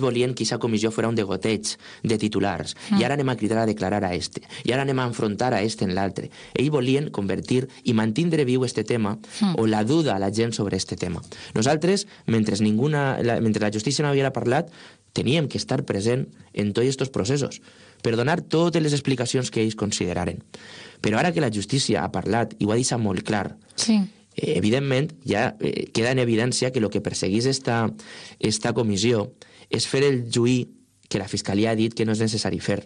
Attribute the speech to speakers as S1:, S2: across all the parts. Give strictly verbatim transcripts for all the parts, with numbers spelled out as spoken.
S1: volien que aquesta comissió fos un degoteig de titulars, mm. i ara anem a cridar a declarar a este, i ara anem a enfrontar a este en l'altre. Ells volien convertir i mantindre viu este tema, mm. o la duda a la gent sobre este tema. Nosaltres, mentre, ninguna, la, mentre la justícia no havia parlat, teníem que estar present en tots aquests processos, per donar totes les explicacions que ells consideraren. Però ara que la justícia ha parlat, i ho ha deixat molt clar,
S2: sí.
S1: eh, evidentment ja eh, queda en evidència que el que perseguís esta, esta comissió és fer el juí que la Fiscalia ha dit que no és necessari fer.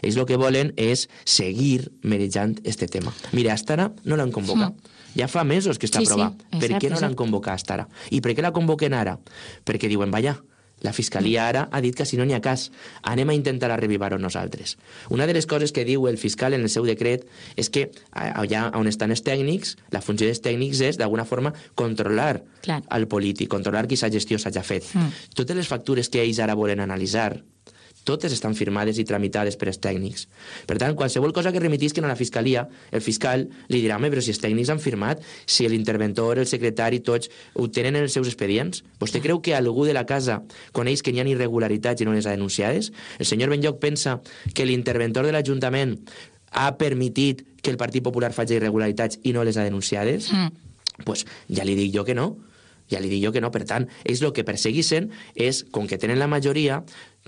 S1: Ells el que volen és seguir merejant este tema. Mira, hasta ara no l'han convocat. Mm. Ja fa mesos que està
S2: sí,
S1: aprovat.
S2: Sí,
S1: per què no l'han convocat hasta ara? I per què la convoquen ara? Perquè diuen, vaja, la Fiscalia ara ha dit que si no n'hi ha cas, anem a intentar revivar-ho nosaltres. Una de les coses que diu el fiscal en el seu decret és que allà on estan els tècnics, la funció dels tècnics és d'alguna forma controlar
S2: Clar.
S1: el polític, controlar qui aquesta gestió s'hagi fet. Mm. Totes les factures que ells ara volen analitzar, totes estan firmades i tramitades per els tècnics. Per tant, qualsevol cosa que remitisquen a la Fiscalia, el fiscal li dirà, home, però si els tècnics han firmat, si l'interventor, el secretari, tots ho tenen en els seus expedients, vostè creu que algú de la casa coneix que n'hi ha irregularitats i no les ha denunciades? El senyor Benlloch pensa que l'interventor de l'Ajuntament ha permitit que el Partit Popular faci irregularitats i no les ha denunciades? Mm. Pues ja li dic jo que no. Ja li dic jo que no. Per tant, ells el que perseguissin és, com que tenen la majoria,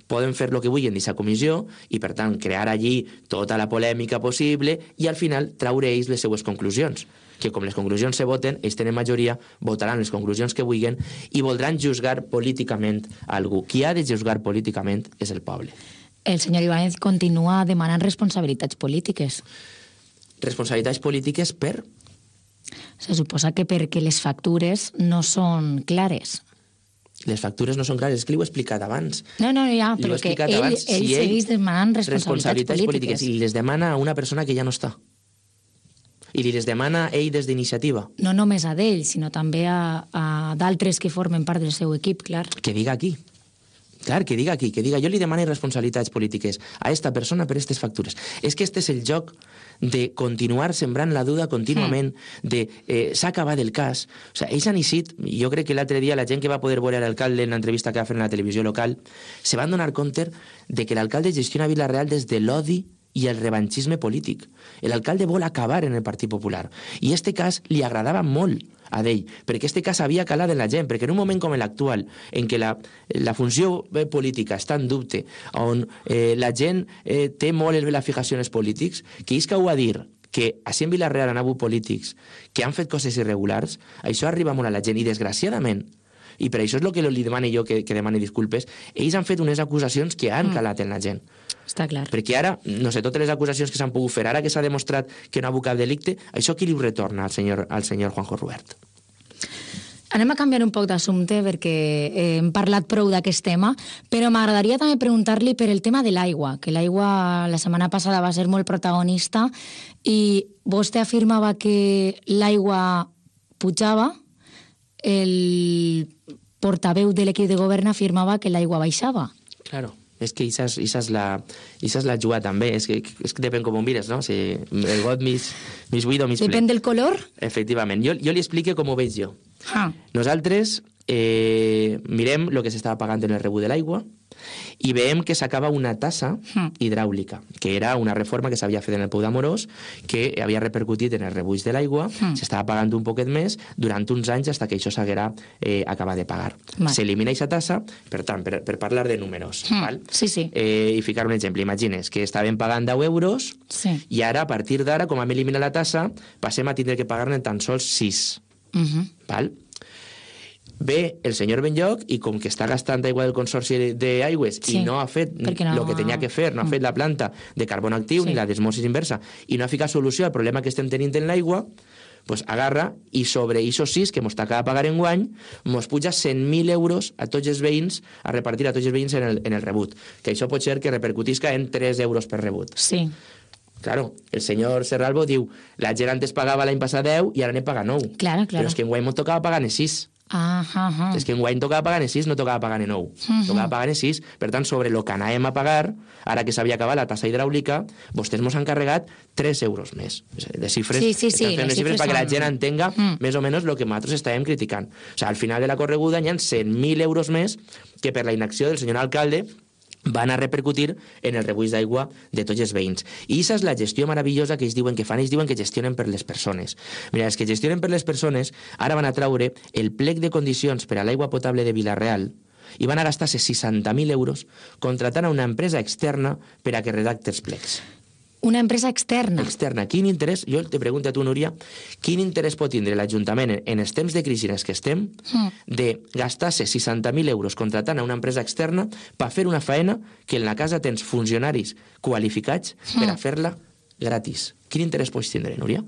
S1: poden fer el que vulguin d'aquesta comissió i, per tant, crear allí tota la polèmica possible i, al final, traure ells les seues conclusions. Que, com les conclusions se voten, ells tenen majoria, votaran les conclusions que vulguin i voldran juzgar políticament algú. Qui ha de juzgar políticament és el poble.
S2: El senyor Ibáñez continua demanant responsabilitats polítiques.
S1: Responsabilitats polítiques per...
S2: Se suposa que perquè les factures no són clares.
S1: Les factures no són clares, és que li ho he explicat abans.
S2: No, no, ja, però que ell,
S1: abans,
S2: ell
S1: si
S2: segueix demanant responsabilitats,
S1: responsabilitats polítiques.
S2: polítiques.
S1: I les demana a una persona que ja no està. I li les demana ell des d'iniciativa.
S2: No només a d'ell, sinó també a, a d'altres que formen part del seu equip, clar.
S1: Que diga aquí. Clar, que diga aquí, que diga jo li demano responsabilitats polítiques a esta persona per aquestes factures. És que este és el joc de continuar sembrant la duda contínuament, mm. de eh, s'ha acabat el cas. O sigui, ells han eixit, jo crec que l'altre dia la gent que va poder veure l'alcalde en l'entrevista que va fer en la televisió local, se van donar compte de que l'alcalde gestiona Vila-real des de l'odi i el revanchisme polític. L'alcalde vol acabar en el Partit Popular. I este cas li agradava molt a d'ell, perquè este cas havia calat en la gent, perquè en un moment com l'actual, en què la, la funció política està en dubte, on eh, la gent eh, té molt la fijació en els polítics, que és que ho ha dir que així en Vila-real han hagut polítics que han fet coses irregulars, això arriba molt a la gent, i desgraciadament, i per això és el que li demano jo que, que demani disculpes, ells han fet unes acusacions que han calat en la gent.
S2: Està clar.
S1: Perquè ara, no sé, totes les acusacions que s'han pogut fer, ara que s'ha demostrat que no ha hagut cap delicte, això qui li ho retorna al senyor, al senyor Juanjo Rubert?
S2: Anem a canviar un poc d'assumpte perquè eh, hem parlat prou d'aquest tema, però m'agradaria també preguntar-li per el tema de l'aigua, que l'aigua la setmana passada va ser molt protagonista i vostè afirmava que l'aigua pujava, el portaveu de l'equip de govern afirmava que l'aigua baixava.
S1: Claro. És que això és la, la jugada també, és que, és que depèn com ho mires, no? Si el got mig, mig buit o mig ple.
S2: Depèn del color?
S1: Efectivament. Jo, jo li explico com ho veig jo.
S2: Ah.
S1: Nosaltres eh, mirem el que s'estava pagant en el rebut de l'aigua i veiem que s'acaba una tassa hidràulica, que era una reforma que s'havia fet en el Pou d'Amorós, que havia repercutit en el rebuig de l'aigua, mm. s'estava pagant un poquet més durant uns anys fins que això s'haguera eh, acabat de pagar. Vale. S'elimina aquesta tassa, per tant, per, per parlar de números,
S2: mm.
S1: val?
S2: Sí, sí.
S1: Eh, i ficar un exemple, imagines que estaven pagant deu euros
S2: sí.
S1: i ara, a partir d'ara, com hem eliminat la tassa, passem a tindre que pagar-ne tan sols sis.
S2: Uh -huh.
S1: Val? Ve el senyor Benlloch i com que està gastant aigua del Consorci d'Aigües sí, i no ha fet el no... que tenia que fer, no ha fet la planta de carbó actiu sí. ni la d'osmosis inversa i no ha ficat solució al problema que estem tenint en l'aigua, pues agarra i sobre aquests sis que ens t'acaba de pagar en guany ens puja cent mil euros a tots els veïns, a repartir a tots els veïns en el, en el rebut, que això pot ser que repercutisca en tres euros per rebut.
S2: Sí.
S1: Claro, el senyor Serralbo diu la gent antes pagava l'any passat deu i ara ne paga nou.
S2: Claro, claro.
S1: Però és que en guany m'ho tocava pagar en sis.
S2: Ah, ah, ah.
S1: És que enguany tocava pagar en sis, no tocava pagar en nou. Uh-huh. Tocava pagar en sis. Per tant, sobre el que anàvem a pagar, ara que s'havia acabat la tassa hidràulica, vostès mos han carregat tres euros més. Les xifres,
S2: sí, sí, sí,
S1: estan fent les xifres perquè la gent entenga mm. més o menys el que nosaltres estàvem criticant. O sigui, al final de la correguda hi ha cent mil euros més que per la inacció del senyor alcalde van a repercutir en el rebuig d'aigua de tots els veïns. I aquesta és la gestió meravellosa que ells diuen que fan, ells diuen que gestionen per les persones. Mira, els que gestionen per les persones ara van a traure el plec de condicions per a l'aigua potable de Vila-real i van a gastar-se seixanta mil euros contratant a una empresa externa per a que redacte els plecs.
S2: Una empresa externa.
S1: Externa. Quin interès, jo te pregunto a tu, Núria, quin interès pot tindre l'Ajuntament en, en els temps de crisi en els que estem mm. de gastar-se seixanta mil euros contratant a una empresa externa per fer una faena que en la casa tens funcionaris qualificats mm. per a fer-la gratis? Quin interès pots tindre, Núria?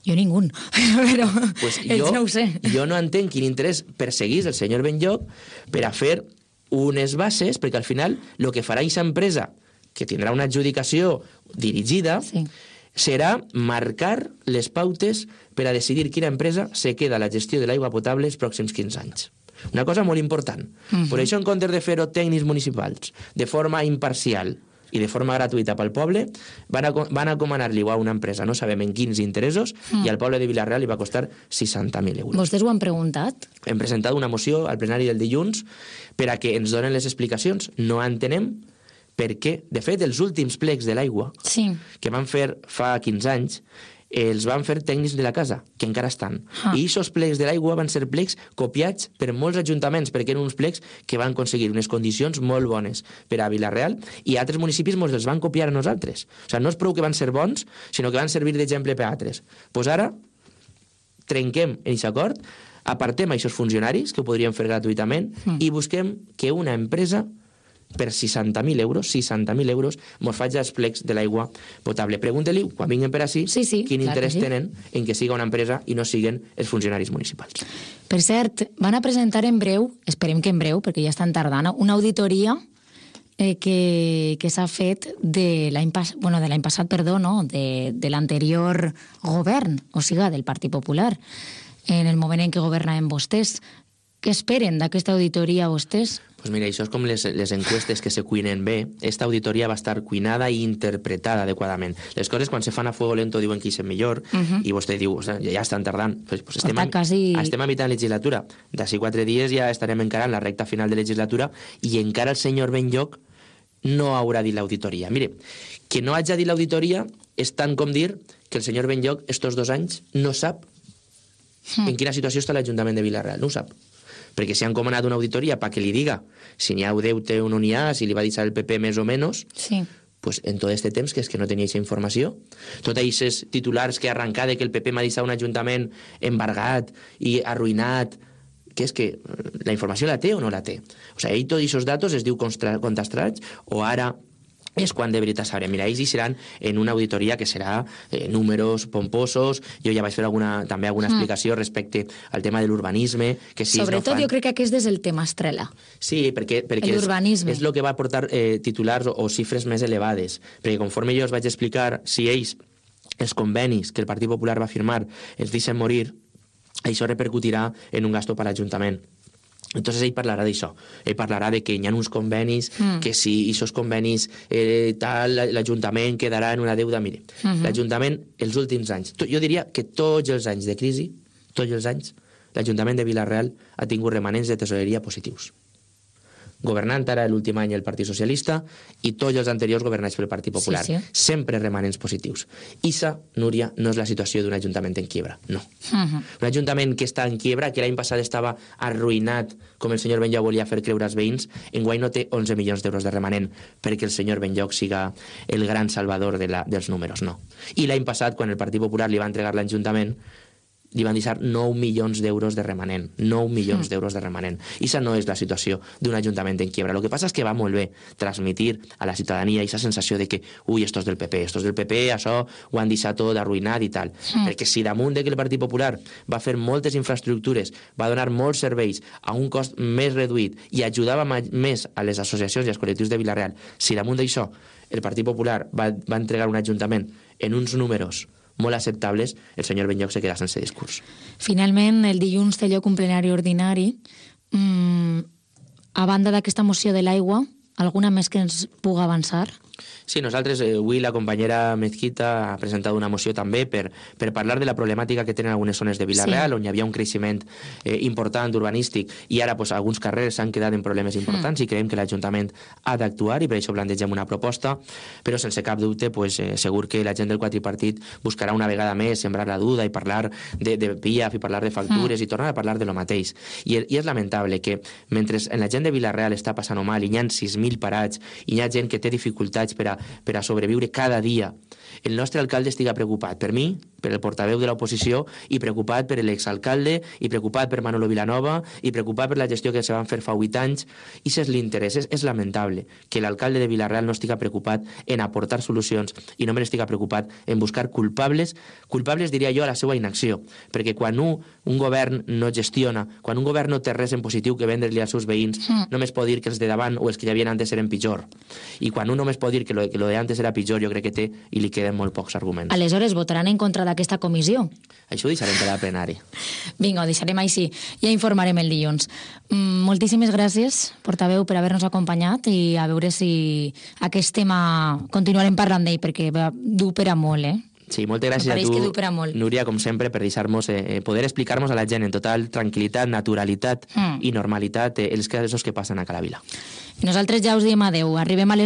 S2: Jo ningú, però
S1: pues
S2: jo, no ho sé.
S1: Jo no entenc quin interès perseguís el senyor Benlloc per a fer unes bases, perquè al final el que farà aquesta empresa, que tindrà una adjudicació dirigida, sí. serà marcar les pautes per a decidir quina empresa se queda a la gestió de l'aigua potable els pròxims quinze anys. Una cosa molt important. Uh-huh. Per això, en comptes de fer-ho tècnics municipals, de forma imparcial i de forma gratuïta pel poble, van, a, van a comanar-li a una empresa, no sabem en quins interessos, uh-huh. i al poble de Vila-real li va costar seixanta mil euros.
S2: Vostès ho han preguntat?
S1: Hem presentat una moció al plenari del dilluns per a que ens donen les explicacions. No entenem perquè, de fet, els últims plecs de l'aigua sí. que van fer fa quinze anys els van fer tècnics de la casa, que encara estan. Ah. I aquests plecs de l'aigua van ser plecs copiats per molts ajuntaments, perquè eren uns plecs que van aconseguir unes condicions molt bones per a Vila-real, i altres municipis ens els van copiar a nosaltres. O sigui, no és prou que van ser bons, sinó que van servir d'exemple per a altres. Doncs pues ara trenquem aquest acord, apartem aquests funcionaris, que ho podríem fer gratuïtament, mm. i busquem que una empresa per seixanta mil euros, seixanta mil euros, mos faig els plecs de l'aigua potable. Pregunta-li, quan vinguin per ací,
S2: sí, sí,
S1: quin interès
S2: sí.
S1: tenen en que siga una empresa i no siguen els funcionaris municipals.
S2: Per cert, van a presentar en breu, esperem que en breu, perquè ja estan tardant, una auditoria eh, que, que s'ha fet de l'any pas, bueno, de l'any passat, perdó, no? de, de l'anterior govern, o sigui, del Partit Popular, en el moment en què governaven vostès. Què esperen d'aquesta auditoria vostès?
S1: Pues mira, això és com les, les encuestes que se cuinen bé. Esta auditoria va estar cuinada i interpretada adequadament. Les coses, quan se fan a fuego lento, diuen que hi és millor, uh-huh. i vostè diu, o sigui, ja estan tardant. Pues, pues estem, a, quasi... estem a mitjà de legislatura. D'ací quatre dies ja estarem encarant la recta final de legislatura i encara el senyor Benlloc no haurà dit l'auditoria. Mire, que no hagi dit l'auditoria és tant com dir que el senyor Benlloc estos dos anys no sap uh-huh. en quina situació està l'Ajuntament de Vila-real. No ho sap. Perquè si han comanat una auditoria perquè li diga si n'hi ha deute o no n'hi ha, si li va deixar el P P més o menys, sí. pues en tot aquest temps que és que no tenia aquesta informació. Tots aquests titulars que arrencar de que el P P m'ha deixat un ajuntament embargat i arruïnat, que és que la informació la té o no la té? O sigui, ell tots aquests datos es diu contrastats o ara és quan de veritat sabrem. Mira, ells hi seran en una auditoria que serà eh, números pomposos. Jo ja vaig fer alguna, també alguna mm. explicació respecte al tema de l'urbanisme. Que si
S2: Sobretot
S1: no fan...
S2: jo crec que aquest és el tema estrella.
S1: Sí, perquè, perquè és, és el que va portar eh, titulars o, o xifres més elevades. Perquè conforme jo us vaig explicar, si ells, els convenis que el Partit Popular va firmar, els deixen morir, això repercutirà en un gasto per a l'Ajuntament. Entonces ell parlarà d'això, ell parlarà de que hi ha uns convenis, mm. que si aquests convenis eh, tal, l'Ajuntament quedarà en una deuda. Mire, mm-hmm. l'Ajuntament els últims anys, jo diria que tots els anys de crisi, tots els anys, l'Ajuntament de Vila-real ha tingut remanents de tesoreria positius. Governant ara l'últim any el Partit Socialista i tots els anteriors governats pel Partit Popular. Sí, sí. Sempre remanents positius. Issa, Núria, no és la situació d'un ajuntament en quiebra, no. Uh-huh. Un ajuntament que està en quiebra, que l'any passat estava arruïnat, com el senyor Benlloc volia fer creure als veïns, enguany no té onze milions d'euros de remanent perquè el senyor Benlloc siga el gran salvador de la, dels números, no. I l'any passat, quan el Partit Popular li va entregar l'Ajuntament, li van deixar nou milions d'euros de remanent. nou milions mm. d'euros de remanent. I això no és la situació d'un ajuntament en quiebra. El que passa és que va molt bé transmitir a la ciutadania aquesta sensació de que, ui, estos del P P, estos del P P, això ho han deixat tot arruïnat i tal. Mm. Perquè si damunt de que el Partit Popular va fer moltes infraestructures, va donar molts serveis a un cost més reduït i ajudava més a les associacions i als col·lectius de Vila-real, si damunt d'això el Partit Popular va, va entregar un ajuntament en uns números molt acceptables, el senyor Benlloch se queda sense discurs.
S2: Finalment, el dilluns té lloc un plenari ordinari. Mm, a banda d'aquesta moció de l'aigua, alguna més que ens pugui avançar?
S1: Sí, nosaltres, eh, avui la companyera Mezquita ha presentat una moció també per, per parlar de la problemàtica que tenen algunes zones de Vila-real, sí, on hi havia un creixement eh, important urbanístic i ara pues, alguns carrers s'han quedat en problemes importants mm. i creiem que l'Ajuntament ha d'actuar i per això plantegem una proposta, però sense cap dubte pues, eh, segur que la gent del quadripartit buscarà una vegada més sembrar la duda i parlar de, de P I A F i parlar de factures mm. i tornar a parlar de lo mateix. I, I és lamentable que mentre en la gent de Vila-real està passant mal i hi ha sis mil parats i hi ha gent que té dificultats per a per a sobreviure cada dia, el nostre alcalde estiga preocupat per mi, per el portaveu de l'oposició i preocupat per l'exalcalde i preocupat per Manolo Vilanova i preocupat per la gestió que se van fer fa vuit anys. I si és l'interès, és, és lamentable que l'alcalde de Vila-real no estiga preocupat en aportar solucions i només estiga preocupat en buscar culpables, culpables diria jo a la seva inacció, perquè quan un, un govern no gestiona, quan un govern no té res en positiu que vendre-li als seus veïns, mm. només pot dir que els de davant o els que hi havia antes eren pitjor. I quan un només pot dir que lo, que lo de antes era pitjor, jo crec que té i li queden molt pocs arguments.
S2: Aleshores, votaran en contra d'aquesta comissió?
S1: Això ho deixarem per al plenari.
S2: Vinga, ho deixarem així. Ja informarem el dilluns. Mm, moltíssimes gràcies, portaveu, per haver-nos acompanyat i a veure si aquest tema continuarem parlant d'ell, perquè du per a molt, eh?
S1: Sí, moltes gràcies a tu, Núria, com sempre, per deixar-nos eh, poder explicar-nos a la gent en total tranquil·litat, naturalitat mm. i normalitat eh, els casos que passen a Calavila.
S2: I nosaltres ja us diem adeu. Arribem a les